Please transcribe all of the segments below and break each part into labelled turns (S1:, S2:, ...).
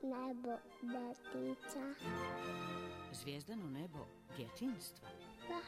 S1: nebo detica.
S2: Zvijezdano nebo djetinjstva?
S1: Da.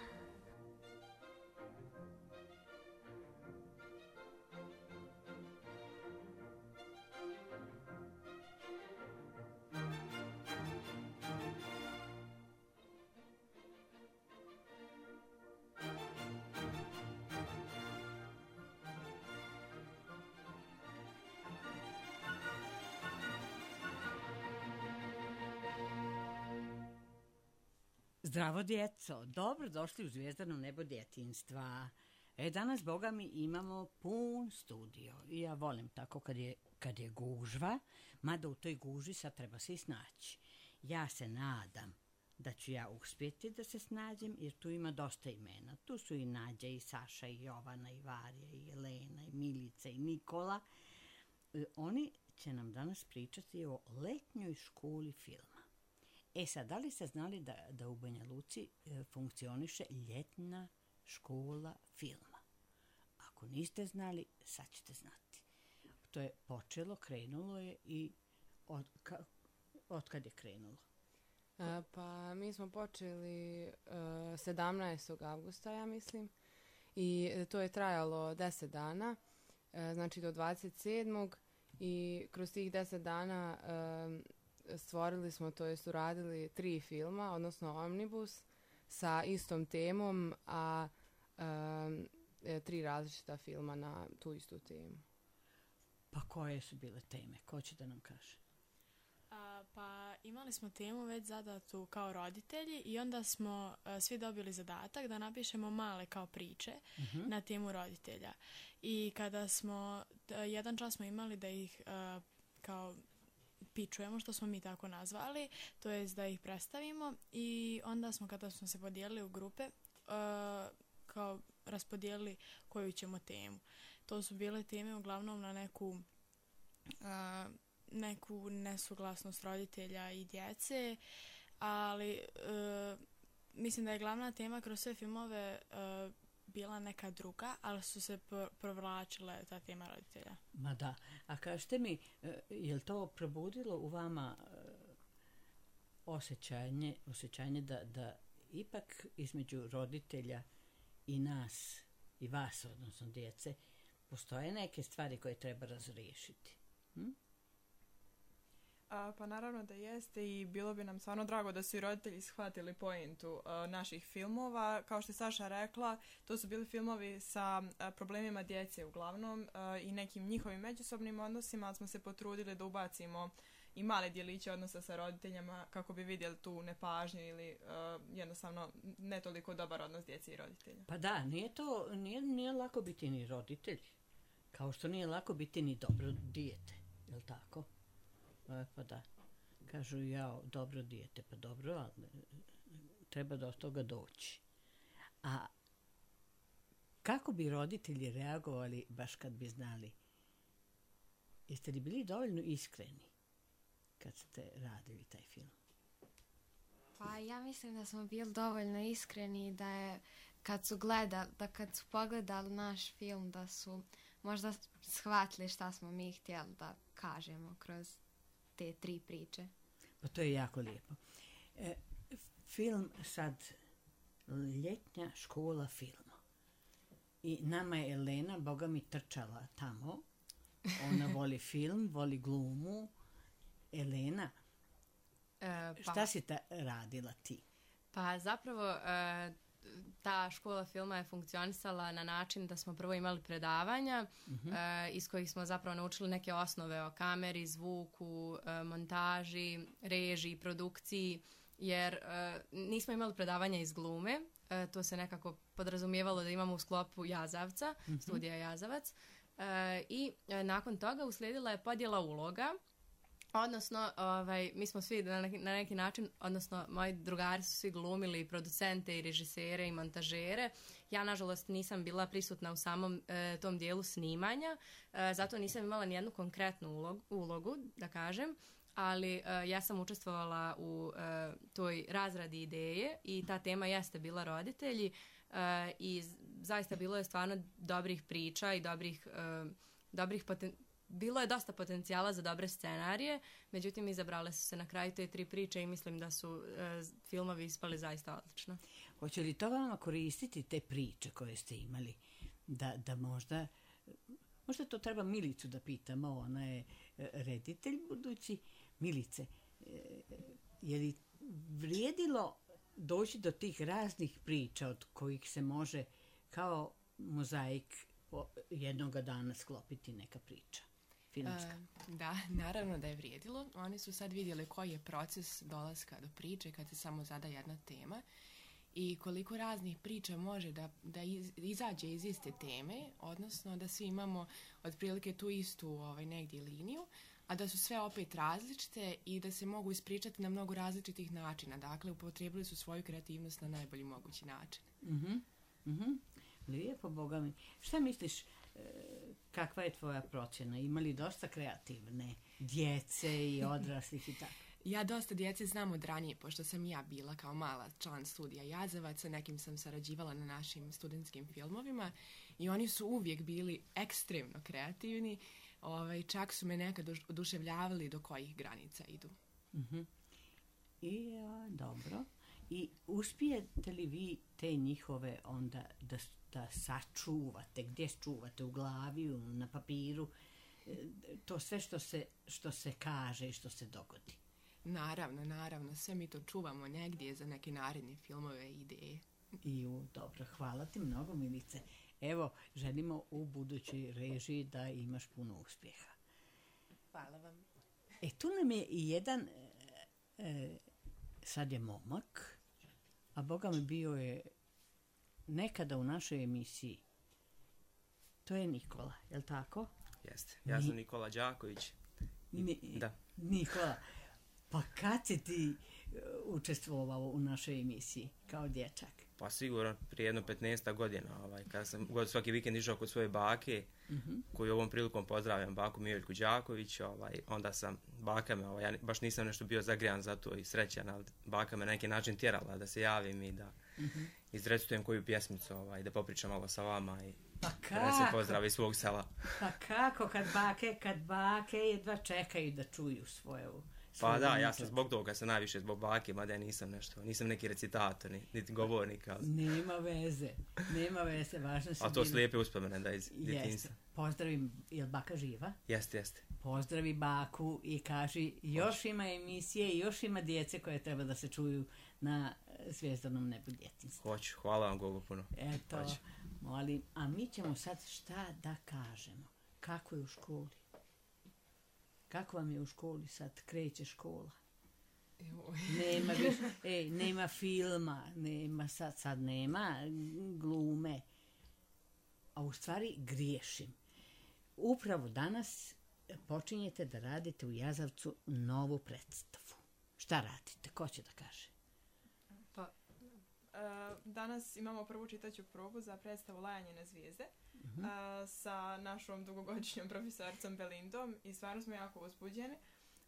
S2: Zdravo djeco, dobro došli u Zvijezdano nebo djetinjstva. Danas, boga mi, imamo pun studio i ja volim tako kad je gužva, mada u toj gužvi sad treba se i snaći. Ja se nadam da ću ja uspjeti da se snađem, jer tu ima dosta imena. Tu su i Nađa, i Saša, i Jovana, i Varja, i Jelena, i Milica, i Nikola. Oni će nam danas pričati o letnjoj školi filma. Sad, da li ste znali da u Banja Luci funkcioniše ljetna škola filma? Ako niste znali, sad ćete znati. To je počelo, krenulo je i od kad je krenulo?
S3: Pa mi smo počeli 17. avgusta, ja mislim, i to je trajalo 10 dana, znači do 27. i kroz tih 10 dana stvorili smo, to jest uradili 3 filma, odnosno Omnibus, sa istom temom, a 3 različita filma na tu istu temu.
S2: Pa koje su bile teme? Ko će da nam kaže?
S4: Pa imali smo temu već zadatu kao roditelji i onda smo svi dobili zadatak da napišemo male kao priče na temu roditelja. I kada smo, jedan čas smo imali da ih kao pičujemo, što smo mi tako nazvali, to jest da ih predstavimo, i onda smo, kada smo se podijelili u grupe, kao raspodijelili koju ćemo temu. To su bile teme uglavnom na neku nesuglasnost roditelja i djece, ali mislim da je glavna tema kroz sve filmove bila neka druga, ali su se provlačile ta tema roditelja.
S2: Ma da, a kažete mi, je li to probudilo u vama osjećanje da ipak između roditelja i nas, i vas, odnosno djece, postoje neke stvari koje treba razriješiti?
S5: Pa naravno da jeste, i bilo bi nam stvarno drago da su i roditelji shvatili pointu naših filmova. Kao što je Saša rekla, to su bili filmovi sa problemima djece uglavnom i nekim njihovim međusobnim odnosima, ali smo se potrudili da ubacimo i male djeliće odnosa sa roditeljima kako bi vidjeli tu nepažnju ili jednostavno ne toliko dobar odnos djece i roditelja.
S2: Pa da, nije lako biti ni roditelj, kao što nije lako biti ni dobro dijete, je li tako? Pa da, kažu dobro dijete, pa dobro, ali treba do toga doći. A kako bi roditelji reagovali baš kad bi znali? Jeste li bili dovoljno iskreni kad ste radili taj film?
S6: Pa ja mislim da smo bili dovoljno iskreni da je kad su pogledali naš film da su možda shvatili šta smo mi htjeli da kažemo kroz te 3 priče.
S2: Pa to je jako lijepo. Film sad, ljetnja škola filma. I nama je Elena, boga mi, trčala tamo. Ona voli film, voli glumu. Elena, šta si radila ti?
S3: Pa zapravo ta škola filma je funkcionisala na način da smo prvo imali predavanja iz kojih smo zapravo naučili neke osnove o kameri, zvuku, montaži, režiji, produkciji, jer nismo imali predavanja iz glume, to se nekako podrazumijevalo da imamo u sklopu Jazavca, studija Jazavac, i nakon toga uslijedila je podjela uloga. Odnosno, mi smo svi na neki način, odnosno moji drugari su svi glumili producente i režisere i montažere. Ja, nažalost, nisam bila prisutna u samom tom dijelu snimanja, zato nisam imala nijednu konkretnu ulogu, da kažem, ali ja sam učestvovala u toj razradi ideje i ta tema jeste bila roditelji i zaista bilo je stvarno dobrih priča i dobrih bilo je dosta potencijala za dobre scenarije, međutim izabrale su se na kraju te 3 priče i mislim da su filmovi ispali zaista odlično.
S2: Hoće li to vama koristiti, te priče koje ste imali? Da možda to treba Milicu da pitamo, ona je reditelj budući. Milice, je li vrijedilo doći do tih raznih priča od kojih se može kao mozaik jednoga dana sklopiti neka priča filmska?
S7: Da, naravno da je vrijedilo. Oni su sad vidjeli koji je proces dolaska do priče kad se samo zada jedna tema i koliko raznih priča može da izađe iz iste teme, odnosno da svi imamo otprilike tu istu negdje liniju, a da su sve opet različite i da se mogu ispričati na mnogo različitih načina. Dakle, upotrijebili su svoju kreativnost na najbolji mogući način.
S2: Lijepo, Boga mi. Šta misliš, kakva je tvoja procjena? Ima li dosta kreativne djece i odraslih i tako?
S7: Ja dosta djece znam od ranije, pošto sam i ja bila kao mala član studija Jazavac, sa nekim sam sarađivala na našim studentskim filmovima i oni su uvijek bili ekstremno kreativni. Čak su me nekad oduševljavali do kojih granica idu.
S2: Dobro. I uspijete li vi te njihove onda da sačuvate? Gdje čuvate? U glavi, na papiru? To sve što se kaže i što se dogodi.
S7: Naravno. Sve mi to čuvamo negdje za neke naredne filmove i ideje.
S2: Dobro, hvala ti mnogo, Milice. Evo, želimo u budućoj režiji da imaš puno uspjeha.
S7: Hvala vam.
S2: Tu nam je i jedan, sad je momak, a Boga mi bio je nekada u našoj emisiji. To je Nikola, je li tako?
S8: Jeste. Ja sam Nikola Đaković. Da. Nikola,
S2: pa kad si ti učestvovao u našoj emisiji kao dječak?
S8: Pa sigurno prije jedno 15 godina, kada sam svaki vikend išao kod svoje bake, koju ovom prilikom pozdravljam, baku Mijeljku Đaković, onda sam baka me, ja baš nisam nešto bio zagrijan za to i srećan, ali baka me na neki način tjerala da se javim i da izrecitujem koju pjesmicu, da popričam malo sa vama i da se pozdravi iz svog sela.
S2: Pa kako kad bake jedva čekaju da čuju svoju...
S8: Pa da, ja sam zbog toga se najviše zbog bake, mada ja nisam neki recitator, niti govornik. Ali...
S2: Nema veze, važno se...
S8: A to su lijepe uspomene da iz djetinjstva.
S2: Pozdravim, je li baka živa?
S8: Jeste.
S2: Pozdravi baku i kaži, još ima emisije i još ima djece koje treba da se čuju na Zvjezdanom nebu djetinjstva.
S8: Hoću, hvala vam Gogo puno.
S2: Eto, molim, a mi ćemo sad šta da kažemo? Kako je u školi? Kako vam je u školi sad? Kreće škola. Nema filma, sad nema glume. A u stvari griješim. Upravo danas počinjete da radite u Jazavcu novu predstavu. Šta radite? Ko će da kaže?
S5: Danas imamo prvu čitaću probu za predstavu Lajanje na zvijezde sa našom dugogodišnjom profesoricom Belindom i stvarno smo jako uzbuđeni.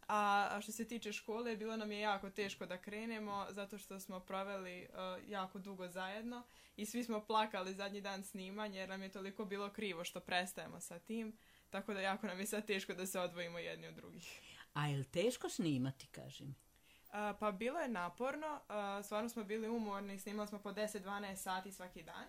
S5: A što se tiče škole, bilo nam je jako teško da krenemo zato što smo proveli jako dugo zajedno i svi smo plakali zadnji dan snimanja jer nam je toliko bilo krivo što prestajemo sa tim, tako da jako nam je sad teško da se odvojimo jedni od drugih.
S2: A je li teško snimati, kaži mi?
S5: Pa bilo je naporno, stvarno smo bili umorni, snimali smo po 10-12 sati svaki dan,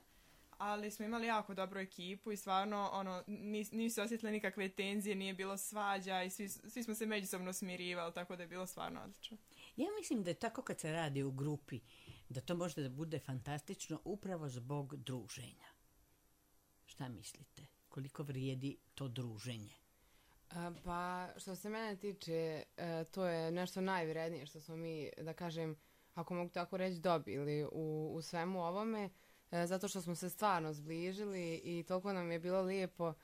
S5: ali smo imali jako dobru ekipu i stvarno nisu osjetili nikakve tenzije, nije bilo svađa i svi smo se međusobno smirivali, tako da je bilo stvarno odlično.
S2: Ja mislim da je tako kad se radi u grupi, da to može da bude fantastično upravo zbog druženja. Šta mislite? Koliko vrijedi to druženje?
S6: Pa, što se mene tiče, to je nešto najvrednije što smo mi, da kažem, ako mogu tako reći, dobili u svemu ovome, zato što smo se stvarno zbližili i toliko nam je bilo lijepo,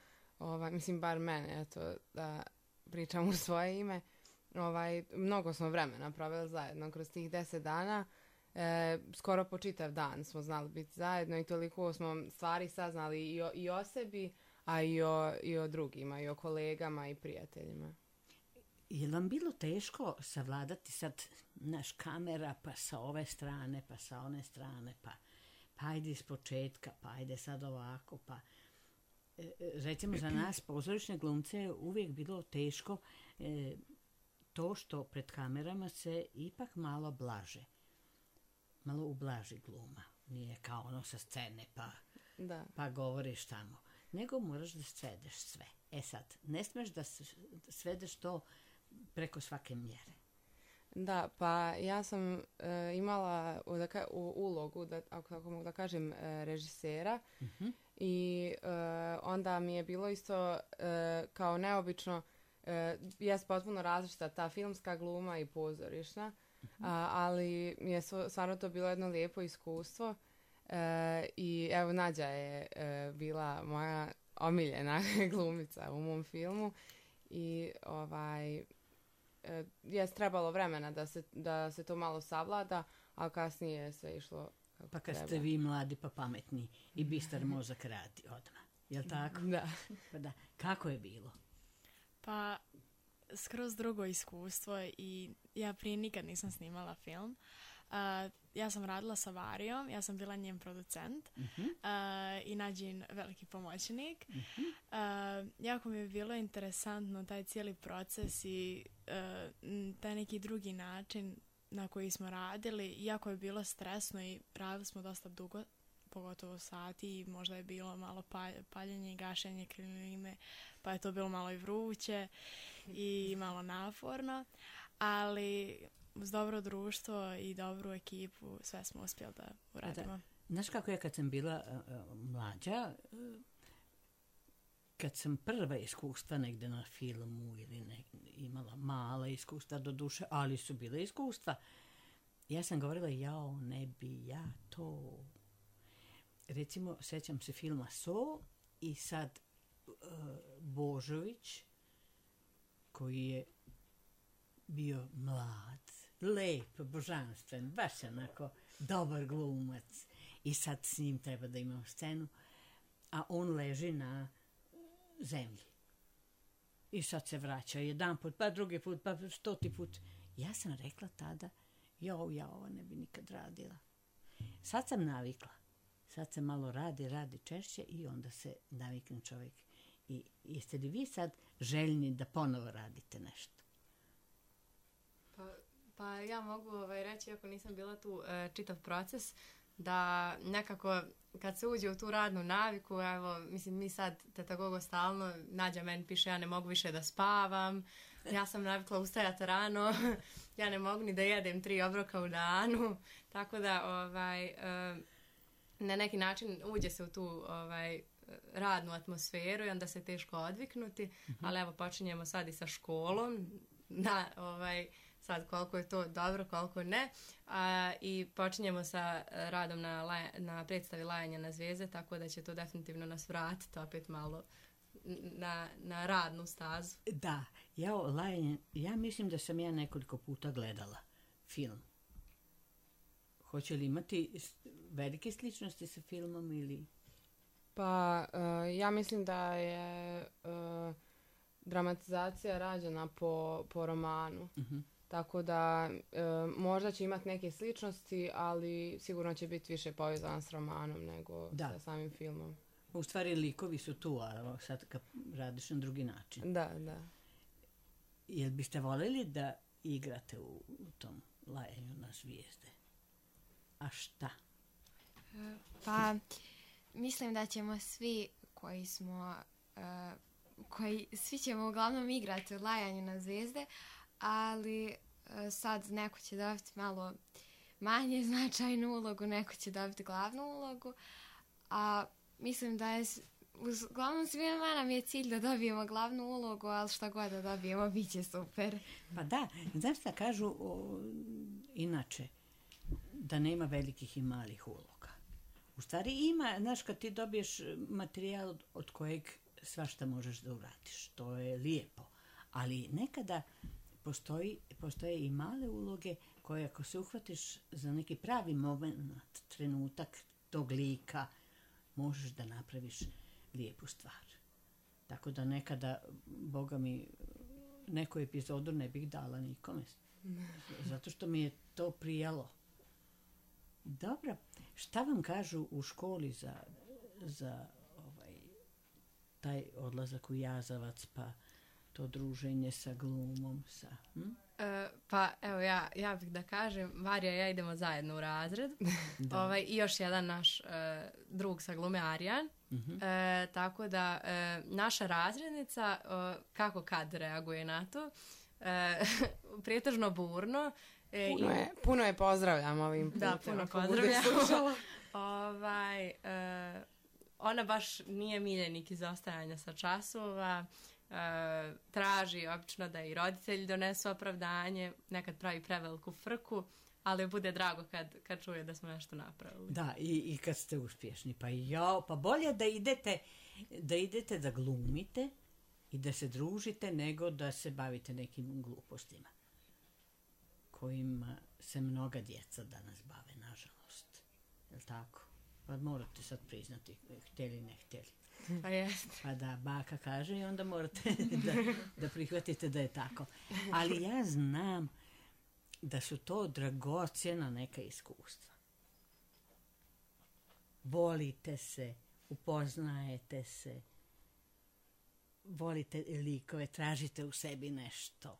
S6: mislim, bar mene, eto, da pričam u svoje ime, mnogo smo vremena proveli zajedno kroz tih 10 dana, skoro po čitav dan smo znali biti zajedno i toliko smo stvari saznali i o sebi, a i o drugima, i o kolegama i prijateljima.
S2: Je li vam bilo teško savladati sad naš kamera, pa sa ove strane, pa sa one strane, pa ajde iz početka, pa ajde sad ovako, pa recimo za nas pozorišne glumce je uvijek bilo teško to što pred kamerama se ipak malo blaže. Malo ublaži gluma. Nije kao ono sa scene pa govoriš tamo. Nego moraš da svedeš sve. Sad, ne smeš da svedeš to preko svake mjere.
S9: Da, pa ja sam imala u ulogu, ako tako mogu da kažem, režisera i onda mi je bilo isto kao neobično, jest potpuno različita ta filmska gluma i pozorišna, ali mi je stvarno to bilo jedno lijepo iskustvo i evo Nađa je bila moja omiljena glumica u mom filmu i je trebalo vremena da se to malo savlada, ali kasnije je sve išlo kako
S2: pa kad
S9: treba.
S2: ste vi mladi pa pametni i bistar mozak radi odmah. Jel' tako?
S9: Da.
S2: Pa da. Kako je bilo?
S4: Pa skroz drugo iskustvo i ja prije nikad nisam snimala film. Ja sam radila sa Varijom, ja sam bila njen producent i Nađin veliki pomoćnik. Jako mi je bilo interesantno taj cijeli proces i taj neki drugi način na koji smo radili. Jako je bilo stresno i radili smo dosta dugo, pogotovo sati i možda je bilo malo paljenje i gašenje klime, pa je to bilo malo i vruće i malo naporno, ali uz dobro društvo i dobru ekipu sve smo uspjeli da uradimo.
S2: Znaš kako ja kad sam bila mlađa, kad sam prva iskustva negde na filmu ili imala mala iskustva do duše, ali su bile iskustva, ja sam govorila ne bi ja to. Recimo, sećam se filma So i sad Božović, koji je bio mlad, lep, božanstven, baš onako dobar glumac. I sad s njim treba da imam scenu, a on leži na zemlji. I sad se vraća jedan put, pa drugi put, pa 100 put. Ja sam rekla tada, ja ovo ne bi nikad radila. Sad sam navikla. Sad se malo radi češće i onda se navikne čovjek. I jeste li vi sad željni da ponovo radite nešto?
S3: Pa ja mogu reći, ako nisam bila tu čitav proces, da nekako kad se uđe u tu radnu naviku, evo, mislim, mi sad tetagogo stalno, Nađa meni piše, ja ne mogu više da spavam, ja sam navikla ustajati rano, ja ne mogu ni da jedem 3 obroka u danu, tako da na neki način uđe se u tu radnu atmosferu i onda se teško odviknuti, ali evo počinjemo sad i sa školom, sad koliko je to dobro, koliko ne, i počinjemo sa radom na predstavi Lajanja na zvijezde, tako da će to definitivno nas vratiti opet malo na radnu stazu.
S2: Da, ja mislim da sam ja nekoliko puta gledala film. Hoće li imati velike sličnosti sa filmom ili?
S9: Pa ja mislim da je dramatizacija rađena po romanu. Tako da možda će imati neke sličnosti, ali sigurno će biti više povezan s romanom nego sa samim filmom.
S2: U stvari likovi su tu, a sad kad radiš na drugi način.
S9: Da.
S2: Jel biste voljeli da igrate u tom Lajanju na zvijezde? A šta?
S6: Pa mislim da ćemo svi svi ćemo uglavnom igrati u Lajanju na zvijezde, ali sad neko će dobiti malo manje značajnu ulogu, neko će dobiti glavnu ulogu, a mislim da je uglavnom svima nam je cilj da dobijemo glavnu ulogu, ali šta god da dobijemo, bit će super.
S2: Pa da, znaš šta kažu inače, da nema velikih i malih uloga. U stvari ima, znaš, kad ti dobiješ materijal od kojeg svašta možeš da uradiš, to je lijepo, ali nekada postoje i male uloge koje ako se uhvatiš za neki pravi moment, trenutak tog lika, možeš da napraviš lijepu stvar. Tako da nekada, Boga mi, neku epizodu ne bih dala nikome. Zato što mi je to prijalo. Dobro, šta vam kažu u školi za taj odlazak u Jazavac, pa to druženje sa glumom,
S3: Pa evo ja bih da kažem, Varija i ja idemo zajedno u razred. I još jedan naš drug sa glume, Arijan. Tako da naša razrednica, kako kad reaguje na to, pretežno burno.
S9: Puno je pozdravljam ovim putem.
S3: Da, puno pozdravljam. Ona baš nije miljenik izostajanja sa časova. Traži obično da i roditelji donesu opravdanje, nekad pravi preveliku frku, ali bude drago kad čuje da smo nešto napravili.
S2: Da, i kad ste uspješni. Pa bolje da idete da glumite i da se družite nego da se bavite nekim glupostima kojima se mnoga djeca danas bave, nažalost. Je li tako? Pa morate sad priznati, htjeli ne htjeli.
S3: Pa jeste.
S2: Pa da, baka kaže i onda morate da prihvatite da je tako. Ali ja znam da su to dragocjena neka iskustva. Volite se, upoznajete se, volite likove, tražite u sebi nešto.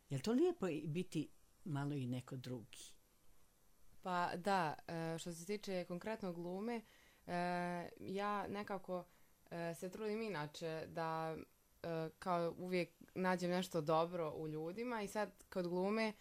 S2: Je li to lijepo biti malo i neko drugi?
S9: Pa da, što se tiče konkretno glume, ja nekako se trudim inače da kao uvijek nađem nešto dobro u ljudima i sad kod glume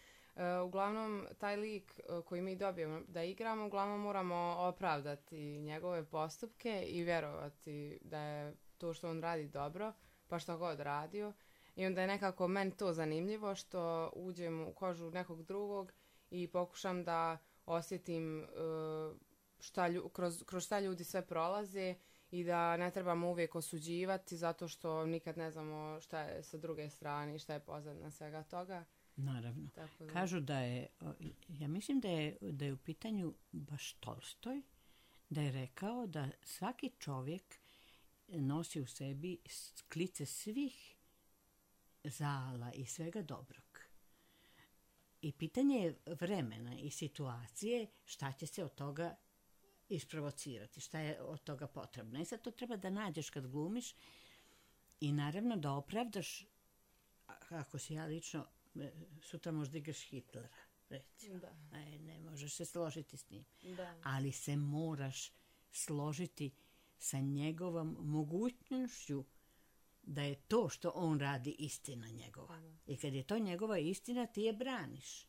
S9: uglavnom taj lik koji mi dobijemo da igramo, uglavnom moramo opravdati njegove postupke i vjerovati da je to što on radi dobro, pa što god radio. I onda je nekako meni to zanimljivo što uđem u kožu nekog drugog i pokušam da osjetim kroz šta ljudi sve prolaze i da ne trebamo uvijek osuđivati zato što nikad ne znamo šta je sa druge strane i šta je pozadina svega toga.
S2: Naravno. Kažu da je, ja mislim da je u pitanju baš Tolstoj, da je rekao da svaki čovjek nosi u sebi klice svih zala i svega dobrog. I pitanje je vremena i situacije šta će se od toga isprovocirati, šta je od toga potrebno. I sad to treba da nađeš kad glumiš i naravno da opravdaš, ako si ja lično, sutra možda igraš Hitlera, recimo. Ne možeš se složiti s njim. Ali se moraš složiti sa njegovom mogućnošću da je to što on radi istina njegova. I kad je to njegova istina, ti je braniš.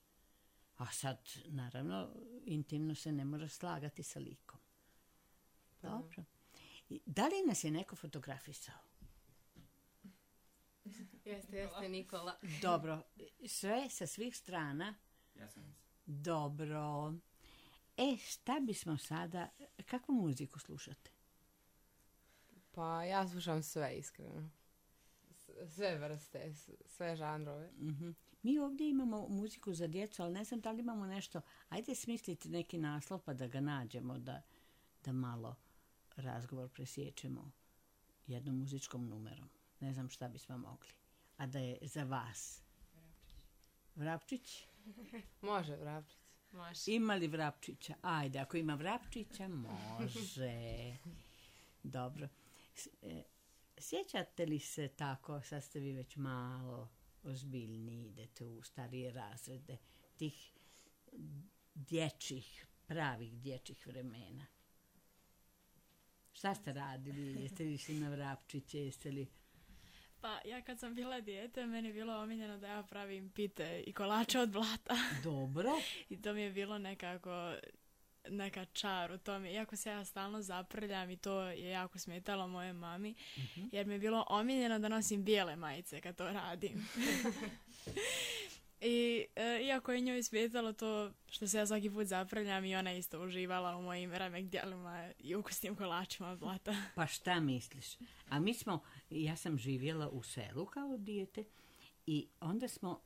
S2: A sad, naravno, intimno se ne moraš slagati sa likom. Dobro. Da li nas je neko fotografisao?
S3: Jeste, Nikola.
S2: Dobro. Sve sa svih strana.
S8: Ja sam.
S2: Dobro. Šta bismo sada... Kakvu muziku slušate?
S9: Pa ja slušam sve, iskreno. Sve vrste, sve žanrove.
S2: Mi ovdje imamo muziku za djecu, ali ne znam da li imamo nešto. Ajde smisliti neki naslov pa da ga nađemo, da malo razgovor presječemo jednom muzičkom numerom. Ne znam šta bismo mogli. A da je za vas. Vrapčić?
S9: Može Vrapčić.
S3: Može.
S2: Ima li Vrapčića? Ajde, ako ima Vrapčića, može. Dobro. Sjećate li se tako, sad ste vi već malo ozbiljni, idete u starije razrede, tih dječjih, pravih dječjih vremena? Šta ste radili? Jeste li išli na Vrapčiće? Jeste li...
S4: Pa ja kad sam bila dijete, meni je bilo omiljeno da ja pravim pite i kolače od blata.
S2: Dobro.
S4: I to mi je bilo neka čar u tome. Iako se ja stalno zaprljam i to je jako smetalo moje mami, jer mi je bilo omiljeno da nosim bijele majice kad to radim. I iako je njoj smetalo to što se ja svaki put zaprljam i ona isto uživala u mojim remek djelima i ukusnim kolačima od blata.
S2: Pa šta misliš? A ja sam živjela u selu kao dijete i onda smo,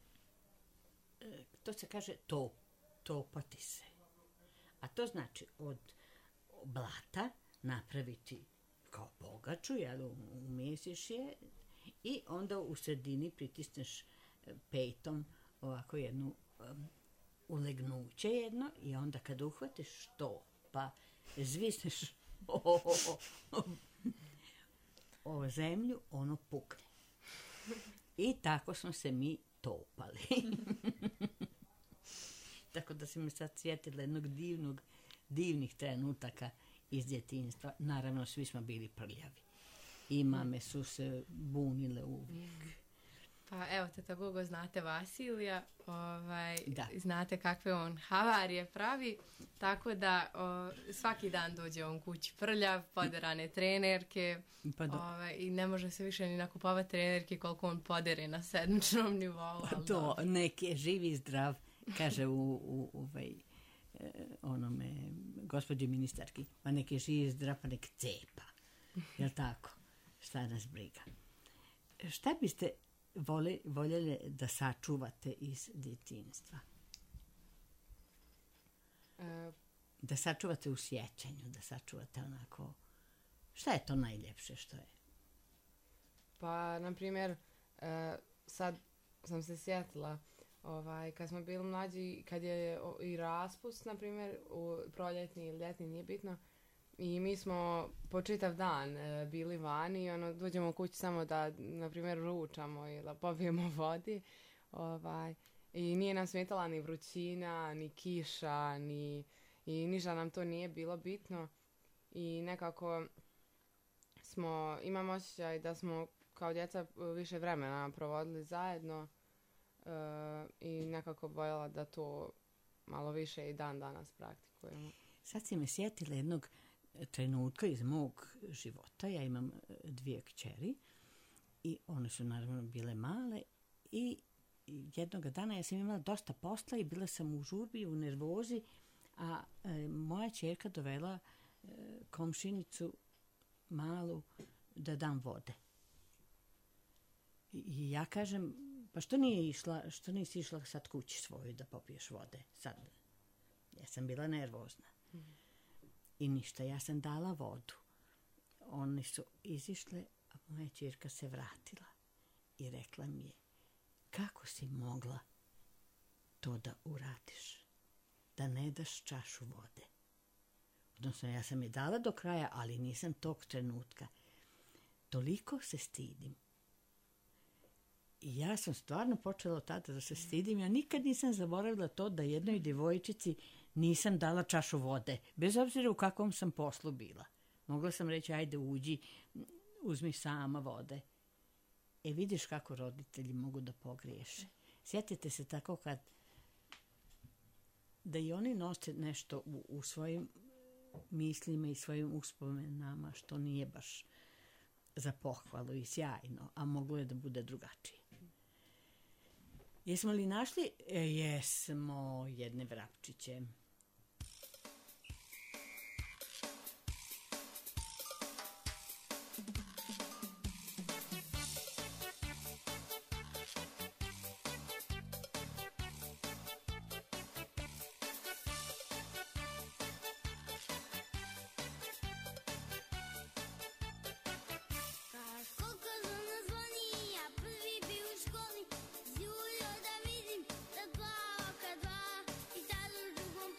S2: to se kaže topati se. A to znači od blata napraviti kao pogaču, jel, umjesiš je i onda u sredini pritisneš pejtom ovako jednu ulegnuće jedno i onda kad uhvatiš to, pa zvisneš o zemlju, ono pukne. I tako smo se mi topali. Tako da se mi sad sjetila jednog divnih trenutaka iz djetinjstva. Naravno, svi smo bili prljavi. I mame su se bunile uvijek.
S3: Pa evo, teta Gogo, znate Vasilija,
S2: Da.
S3: znate kakve on havarije pravi, tako da svaki dan dođe on kući prljav, poderane trenerke,
S2: Pa
S3: i ne može se više ni nakupovati trenerke koliko on podere na sedmičnom nivou. ali
S2: to
S3: dobro.
S2: nek je živ i zdrav, kaže onome gospođi ministarki, pa nek je živ i zdrav, pa nek cepa. Jel tako? Šta nas briga? Šta biste voljeli da sačuvate iz djetinjstva? Da sačuvate u sjećanju, da sačuvate onako... Šta je to najljepše što je?
S9: Pa, na primjer, sad sam se sjetila, kad smo bili mlađi, kad je i raspust, na primjer, proljetni ili ljetni, nije bitno, i mi smo po čitav dan bili vani i dođemo u kući samo da, na primjer, ručamo ili da popijemo vodi. I nije nam smetala ni vrućina, ni kiša, i ništa nam to nije bilo bitno. I nekako imam osjećaj da smo kao djeca više vremena provodili zajedno i nekako voljela da to malo više i dan danas praktikujemo.
S2: Sad si me sjetila jednog trenutka iz mog života. Ja imam 2 kćeri i one su naravno bile male i jednog dana ja sam imala dosta posla i bila sam u žurbi, u nervozi, a moja ćerka dovela komšinicu malu da dam vode. I ja kažem, pa što nisi išla sad kući svoju da popiješ vode? Sad. Ja sam bila nervozna. I ništa, ja sam dala vodu. Oni su izišle, a moja ćerka se vratila i rekla mi je, kako si mogla to da uradiš? Da ne daš čašu vode. Odnosno, ja sam je dala do kraja, ali nisam tog trenutka. Toliko se stidim. I ja sam stvarno počela od tada da se stidim. Ja nikad nisam zaboravila to da jednoj djevojčici nisam dala čašu vode. Bez obzira u kakvom sam poslu bila. Mogla sam reći, ajde uđi, uzmi sama vode. Vidiš kako roditelji mogu da pogriješe. Sjetite se tako kad da i oni nose nešto u svojim mislima i svojim uspomenama što nije baš za pohvalu i sjajno, a moglo je da bude drugačije. Jesmo li našli? Jesmo jedne vrapčiće.
S1: Koliko zvona zvoni, ja prvi bi u školi, zjulio da vidim da plava kad dva i tad u drugom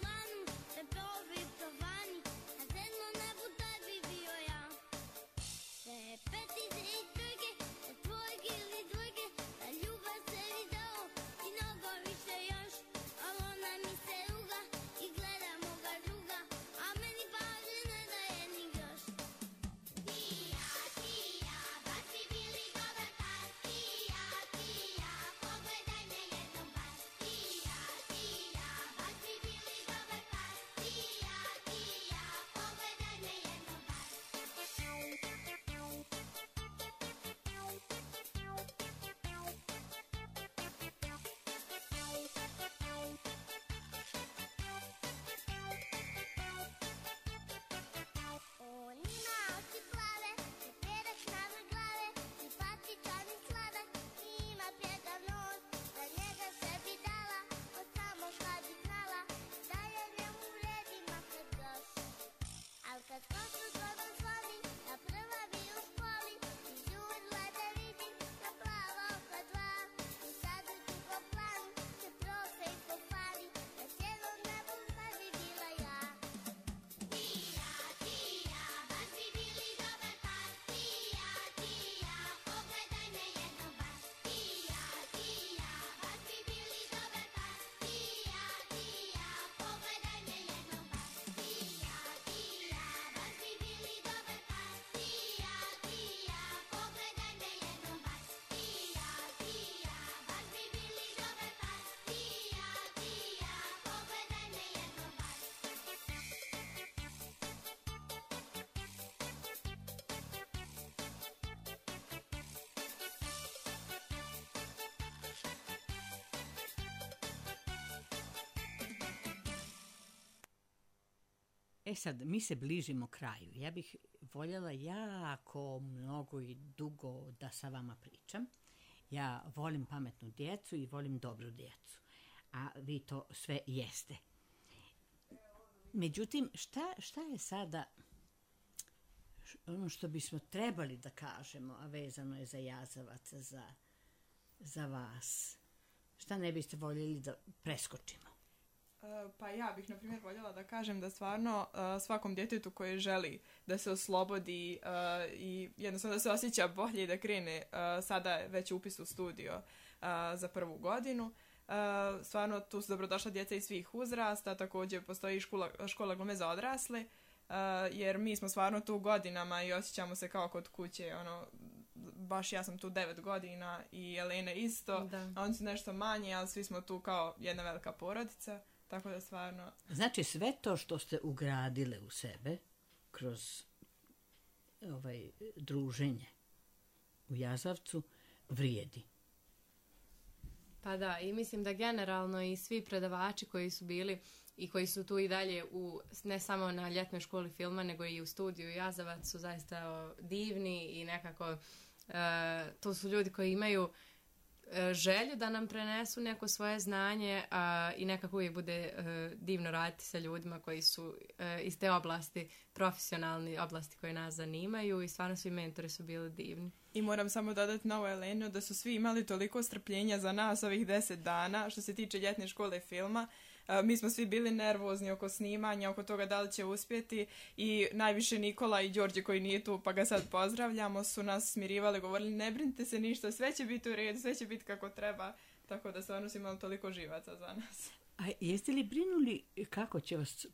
S2: sad, mi se bližimo kraju. Ja bih voljela jako mnogo i dugo da sa vama pričam. Ja volim pametnu djecu i volim dobru djecu. A vi to sve jeste. Međutim, šta je sada ono što bismo trebali da kažemo, a vezano je za Jazavac, za vas? Šta ne biste voljeli da preskočimo?
S5: Pa ja bih, na primjer, voljela da kažem da stvarno svakom djetetu koje želi da se oslobodi i jednostavno da se osjeća bolje i da krene sada je već upis u studio za prvu godinu. Stvarno tu su dobrodošla djeca iz svih uzrasta, također postoji škola glume za odrasle, jer mi smo stvarno tu godinama i osjećamo se kao kod kuće, baš ja sam tu 9 godina i Elena isto, a oni su nešto manje, ali svi smo tu kao jedna velika porodica, tako da stvarno...
S2: Znači sve to što ste ugradile u sebe kroz druženje u Jazavcu vrijedi.
S3: Pa da, i mislim da generalno i svi predavači koji su bili i koji su tu i dalje ne samo na ljetnoj školi filma, nego i u studiju Jazavac su zaista divni i nekako to su ljudi koji imaju želju da nam prenesu neko svoje znanje i nekako uvijek bude divno raditi sa ljudima koji su iz te oblasti, profesionalne oblasti koje nas zanimaju i stvarno svi mentori su bili divni.
S5: I moram samo dodati na ovo Elenu da su svi imali toliko strpljenja za nas ovih 10 dana što se tiče ljetne škole filma. Mi smo svi bili nervozni oko snimanja, oko toga da li će uspjeti i najviše Nikola i Đorđe koji nije tu pa ga sad pozdravljamo su nas smirivali, govorili ne brinite se ništa, sve će biti u redu, sve će biti kako treba, tako da stvarno su imali toliko živaca za nas.
S2: A jeste li brinuli kako će vas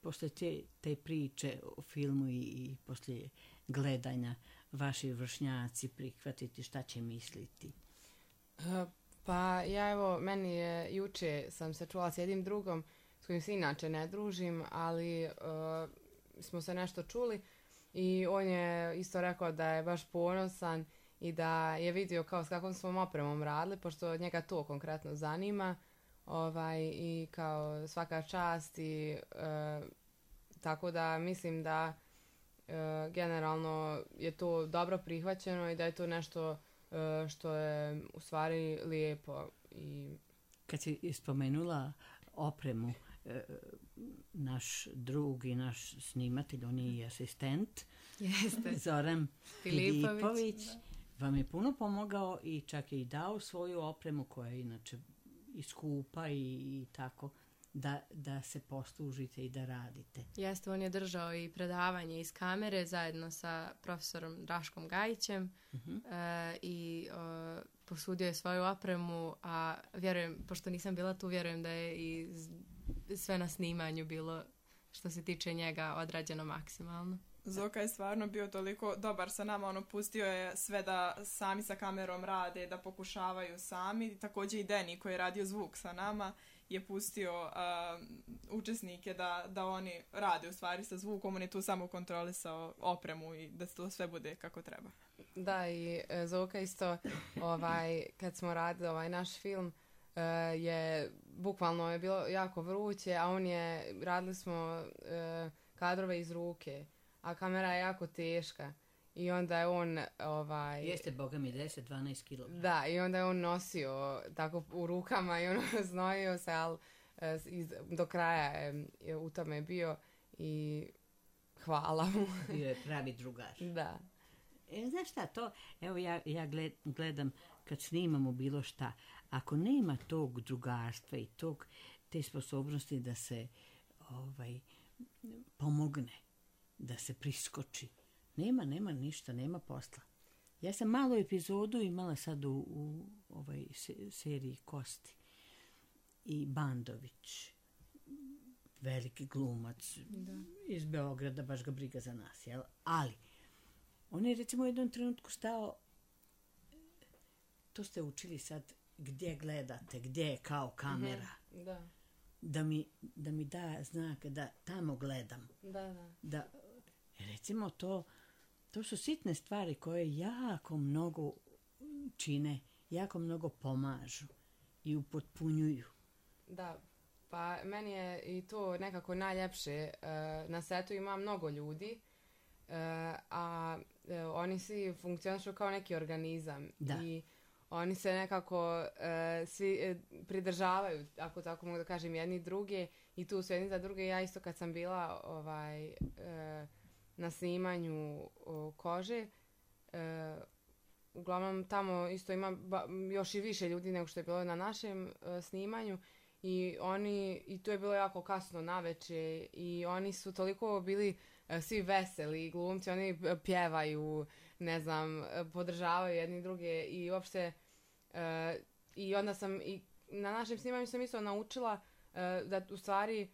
S2: posle te priče o filmu i poslije gledanja vaši vršnjaci prihvatiti, šta će misliti?
S9: Pa ja meni je juče sam se čula s jednim drugom s kojim se inače ne družim, ali smo se nešto čuli i on je isto rekao da je baš ponosan i da je vidio kao s kakvom smo opremom radili, pošto njega to konkretno zanima i kao svaka čast i tako da mislim da generalno je to dobro prihvaćeno i da je to nešto što je u stvari lijepo.
S2: Kad si spomenula opremu, naš drug i naš snimatelj, on je i asistent, Zoran Filipović, vam je puno pomogao i čak je i dao svoju opremu koja je inače i skupa i tako, da se poslužite i da radite.
S3: Jeste, on je držao i predavanje iz kamere zajedno sa profesorom Draškom Gajićem i posudio je svoju opremu, a vjerujem, pošto nisam bila tu, vjerujem da je i sve na snimanju bilo što se tiče njega odrađeno maksimalno.
S5: Zoka je stvarno bio toliko dobar sa nama, pustio je sve da sami sa kamerom rade, da pokušavaju sami. Također i Deni koji je radio zvuk sa nama je pustio učesnike da oni rade u stvari sa zvukom, on je tu samo kontrolisao opremu i da to sve bude kako treba.
S9: Da, i Zoka isto, kad smo radili naš film, bukvalno je bilo jako vruće, a radili smo kadrove iz ruke, a kamera je jako teška. I onda je on...
S2: Jeste, boga mi, 10-12 kg.
S9: Da, i onda je on nosio tako u rukama i znojio se, ali do kraja je u tome bio i hvala mu.
S2: Bio je pravi drugar.
S9: Da.
S2: Znaš šta, to, evo ja gledam kad snimamo bilo šta, ako nema tog drugarstva i te sposobnosti da se pomogne, da se priskoči, nema ništa, nema posla. Ja sam malu epizodu imala sad u seriji Kosti i Bandović, veliki glumac iz Beograda, baš ga briga za nas, jel? Ali on je recimo u jednom trenutku stao, to ste učili sad, gdje gledate, gdje je kao kamera.
S9: Da.
S2: Da mi da znak da tamo gledam. Da, recimo to su sitne stvari koje jako mnogo čine, jako mnogo pomažu i upotpunjuju.
S9: Da, Pa meni je i to nekako najljepše. Na setu ima mnogo ljudi, a oni svi funkcionišu kao neki organizam.
S2: Da.
S9: I oni se nekako svi pridržavaju, ako tako mogu da kažem, jedni druge i tu su jedni za druge. Ja isto kad sam bila na snimanju kože, uglavnom tamo isto ima još i više ljudi nego što je bilo na našem snimanju i to je bilo jako kasno naveče i oni su toliko bili svi veseli glumci, oni pjevaju, ne znam, podržavaju jedni druge i uopšte i onda sam i na našem snimanju sam isto naučila da u stvari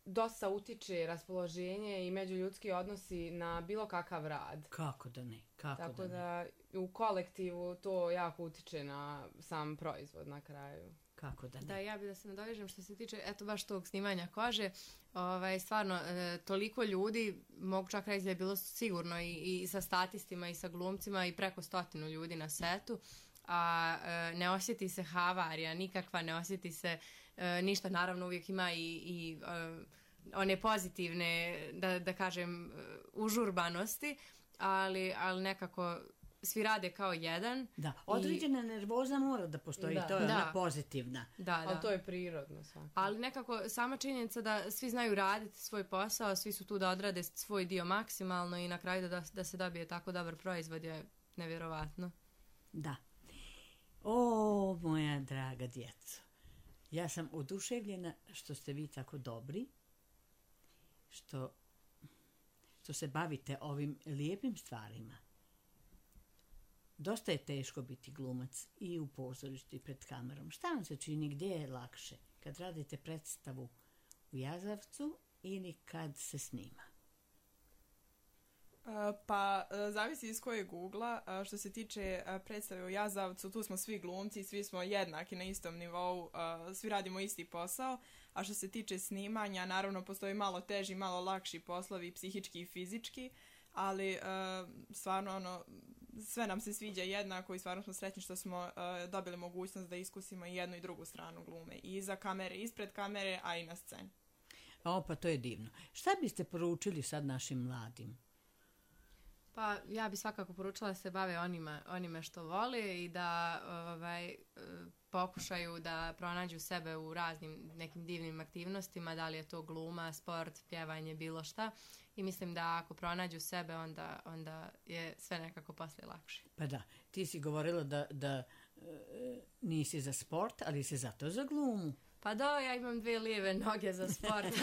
S9: dosta utiče raspoloženje i međuljudski odnosi na bilo kakav rad.
S2: Kako da ne?
S9: Tako da u kolektivu to jako utiče na sam proizvod na kraju.
S2: Kako da ne?
S3: Da, ja bih da se nadovežem što se tiče, eto baš tog snimanja kože, stvarno, toliko ljudi, mogu čak reći da je bilo sigurno i sa statistima i sa glumcima i preko 100 ljudi na setu, a ne osjeti se havarija nikakva, ne osjeti se ništa, naravno uvijek ima i one pozitivne, da kažem, užurbanosti, ali nekako svi rade kao jedan.
S2: Da, određena nervoza mora da postoji, to je ona pozitivna.
S3: Da.
S9: Ali to je prirodno svakako.
S3: Ali nekako sama činjenica da svi znaju raditi svoj posao, svi su tu da odrade svoj dio maksimalno i na kraju da se dobije tako dobar proizvod je nevjerovatno.
S2: Da. O, moja draga djeco, ja sam oduševljena što ste vi tako dobri, što se bavite ovim lijepim stvarima. Dosta je teško biti glumac i u pozorištu i pred kamerom. Šta vam se čini, gdje je lakše? Kad radite predstavu u Jazavcu ili kad se snima?
S5: Pa, zavisi iz kojeg ugla. Što se tiče predstave u Jazavcu, tu smo svi glumci, svi smo jednaki na istom nivou, svi radimo isti posao. A što se tiče snimanja, naravno postoji malo teži, malo lakši poslovi, psihički i fizički, ali stvarno sve nam se sviđa jednako i stvarno smo sretni što smo dobili mogućnost da iskusimo i jednu i drugu stranu glume. I iza kamere, ispred kamere, a i na sceni.
S2: Pa to je divno. Šta biste poručili sad našim mladim?
S3: Pa ja bih svakako poručila da se bave onime što vole i da pokušaju da pronađu sebe u raznim nekim divnim aktivnostima, da li je to gluma, sport, pjevanje, bilo šta. I mislim da ako pronađu sebe, onda je sve nekako poslije lakše.
S2: Pa da, ti si govorila da nisi za sport, ali si zato za glumu.
S3: Pa da, ja imam 2 lijeve noge za sport,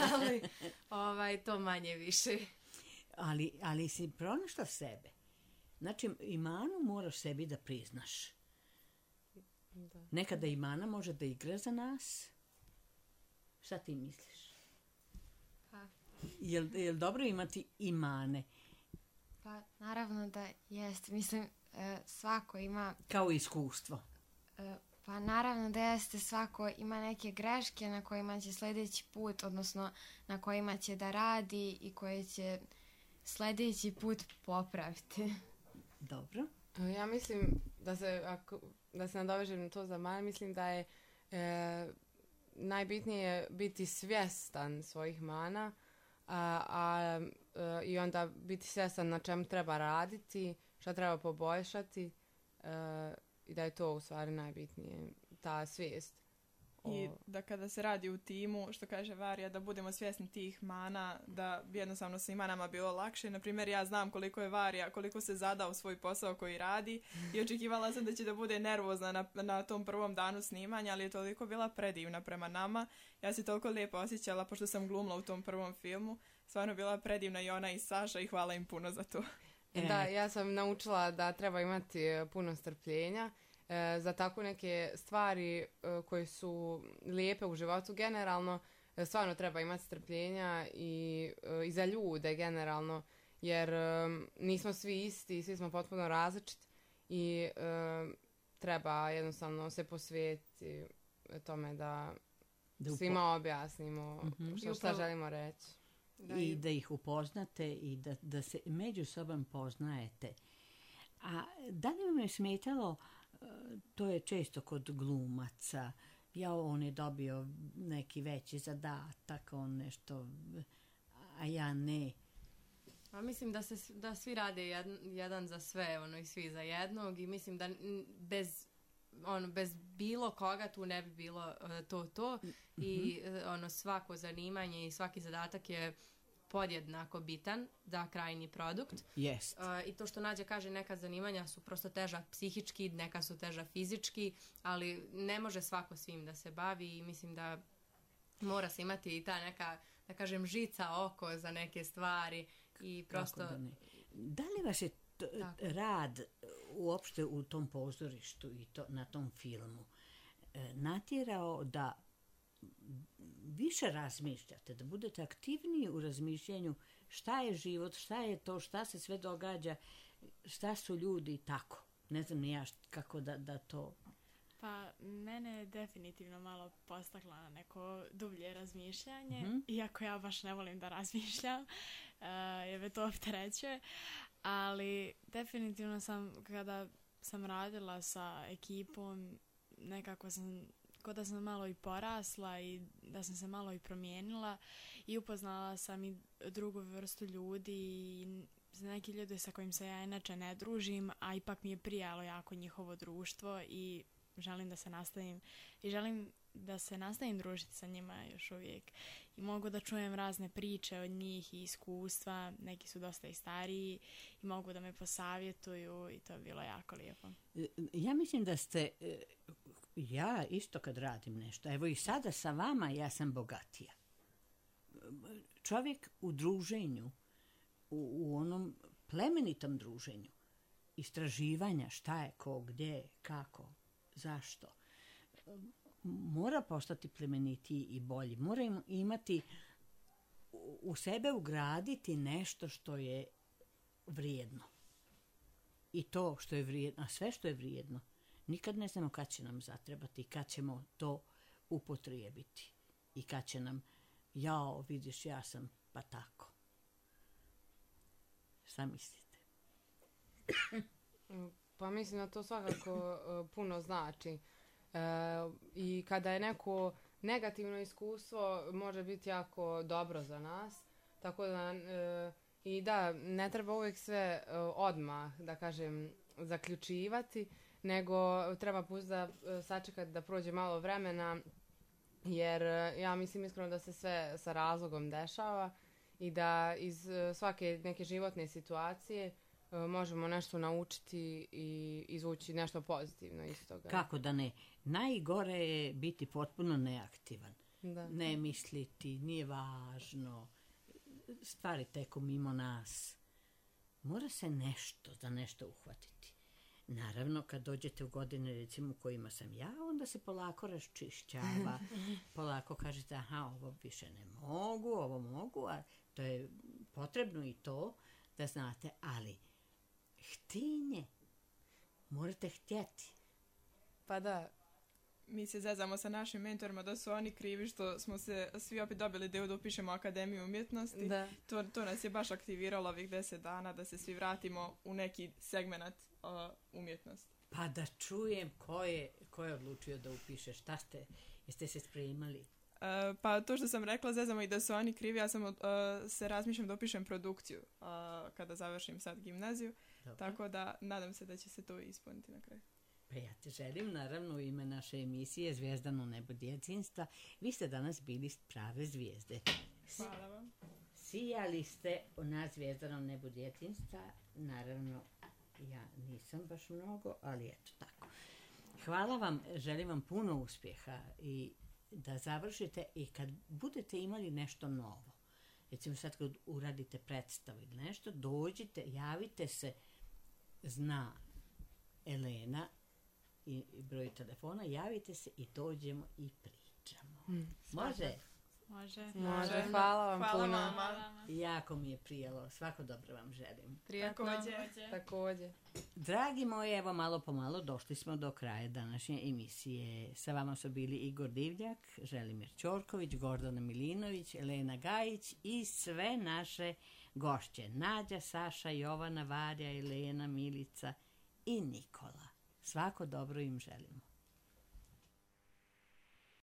S3: ali to manje više.
S2: Ali si pronašla sebe. Znači, i manu moraš sebi da priznaš.
S9: Da.
S2: Nekada i mana može da igra za nas. Šta ti misliš?
S6: Pa.
S2: Jel dobro imati i mane?
S6: Pa naravno da jest. Mislim, svako ima...
S2: Kao iskustvo.
S6: Pa naravno da jeste, svako ima neke greške na kojima će sljedeći put, odnosno na kojima će da radi i koje će sljedeći put popraviti.
S2: Dobro.
S9: Ja mislim da se nadovežem na to za mane, mislim da je najbitnije biti svjestan svojih mana i onda biti svjestan na čemu treba raditi, šta treba poboljšati i da je to u stvari najbitnije, ta svijest.
S5: I da kada se radi u timu, što kaže Varija, da budemo svjesni tih mana, da bi jednostavno svima nama bilo lakše. Naprimjer, ja znam koliko je Varija, koliko se zadao svoj posao koji radi i očekivala sam da će da bude nervozna na tom prvom danu snimanja, ali je toliko bila predivna prema nama. Ja se toliko lijepo osjećala, pošto sam glumila u tom prvom filmu. Stvarno bila predivna i ona i Saša i hvala im puno za to.
S9: Da, ja sam naučila da treba imati puno strpljenja za tako neke stvari koje su lijepe u životu generalno. Stvarno treba imati strpljenja i za ljude generalno, jer nismo svi isti, svi smo potpuno različiti i treba jednostavno se posvetiti tome da svima objasnimo šta želimo reći.
S2: I da ih upoznate i da se među sobom poznajete. A da li vam je smetalo, to je često kod glumaca, ja, on je dobio neki veći zadatak, on nešto, a ja ne.
S3: A mislim da svi rade jedan za sve, i svi za jednog, i mislim da bez bilo koga tu ne bi bilo to i svako zanimanje i svaki zadatak je podjednako bitan za krajnji produkt.
S2: Jest.
S3: I to što Nađa kaže, neka zanimanja su prosto teža psihički, neka su teža fizički, ali ne može svako svim da se bavi i mislim da mora se imati i ta neka, da kažem, žica oko za neke stvari i prosto...
S2: Da li vaš je rad uopšte u tom pozorištu i na tom filmu natjerao da više razmišljate, da budete aktivniji u razmišljanju šta je život, šta je to, šta se sve događa, šta su ljudi i tako? Ne znam ni ja kako da to...
S4: Pa, mene je definitivno malo postakla na neko dublje razmišljanje, iako ja baš ne volim da razmišljam, jer me to opterećuje, ali definitivno kada sam radila sa ekipom, nekako sam, kao da sam malo i porasla i da sam se malo i promijenila i upoznala sam i drugu vrstu ljudi i neki ljudi sa kojim se ja inače ne družim, a ipak mi je prijalo jako njihovo društvo i želim da se nastavim družiti sa njima još uvijek. I mogu da čujem razne priče od njih i iskustva, neki su dosta i stariji i mogu da me posavjetuju i to je bilo jako lijepo.
S2: Ja mislim da ste, ja isto kad radim nešto, evo i sada sa vama ja sam bogatija. Čovjek u druženju, u onom plemenitom druženju, istraživanja šta je ko, gdje, kako, zašto, mora postati plemenitiji i bolji. Mora imati u sebe ugraditi nešto što je vrijedno. I to što je vrijedno, a sve što je vrijedno, nikad ne znamo kad će nam zatrebati, kad ćemo to upotrijebiti. I kad će nam, jao, vidiš, ja sam pa tako. Šta mislite?
S9: Pa mislim da to svakako puno znači. I kada je neko negativno iskustvo, može biti jako dobro za nas. Tako da, i da, ne treba uvijek sve odmah, da kažem, zaključivati, nego treba pustiti da sačekati da prođe malo vremena, jer ja mislim iskreno da se sve sa razlogom dešava i da iz svake neke životne situacije možemo nešto naučiti i izvući nešto pozitivno iz toga.
S2: Kako da ne? Najgore je biti potpuno neaktivan.
S9: Da.
S2: Ne misliti, nije važno. Stvari teku mimo nas. Mora se za nešto uhvatiti. Naravno, kad dođete u godine, recimo, u kojima sam ja, onda se polako raščišćava. Polako kažete, aha, ovo više ne mogu, ovo mogu, a to je potrebno i to da znate, ali htinje. Morate htjeti.
S9: Pa da.
S5: Mi se zezamo sa našim mentorima da su oni krivi što smo se svi opet dobili ideju da upišemo Akademiju umjetnosti. Da. To nas je baš aktiviralo ovih 10 dana da se svi vratimo u neki segment umjetnosti.
S2: Pa da čujem ko je odlučio da upiše. Jeste se spremali?
S5: Pa to što sam rekla, zezamo i da su oni krivi, ja sam se razmišljam da upišem produkciju kada završim sad gimnaziju. Dobro. Tako da nadam se da će se to ispuniti na kraju.
S2: Pa ja te želim, naravno, u ime naše emisije Zvijezdano nebo djetinjstva. Vi ste danas bili prave zvijezde.
S5: Hvala vam.
S2: Sijali ste na Zvijezdanom nebu djetinjstva. Naravno, ja nisam baš mnogo, ali eto tako. Hvala vam, želim vam puno uspjeha i da završite i kad budete imali nešto novo. Recimo sad kad uradite predstavu ili nešto, dođite, javite se, zna Elena i broj telefona, javite se i dođemo i pričamo. Može?
S9: Može. Hvala vam puno.
S2: Jako mi je prijelo. Svako dobro vam želim.
S3: Prijatno.
S9: Također.
S2: Dragi moji, evo malo po malo došli smo do kraja današnje emisije. Sa vama su bili Igor Divljak, Želimir Ćorković, Gordana Milinović, Elena Gajić i sve naše gošće. Nađa, Saša, Jovana, Varja, Elena, Milica i Nikola. Svako dobro im želimo.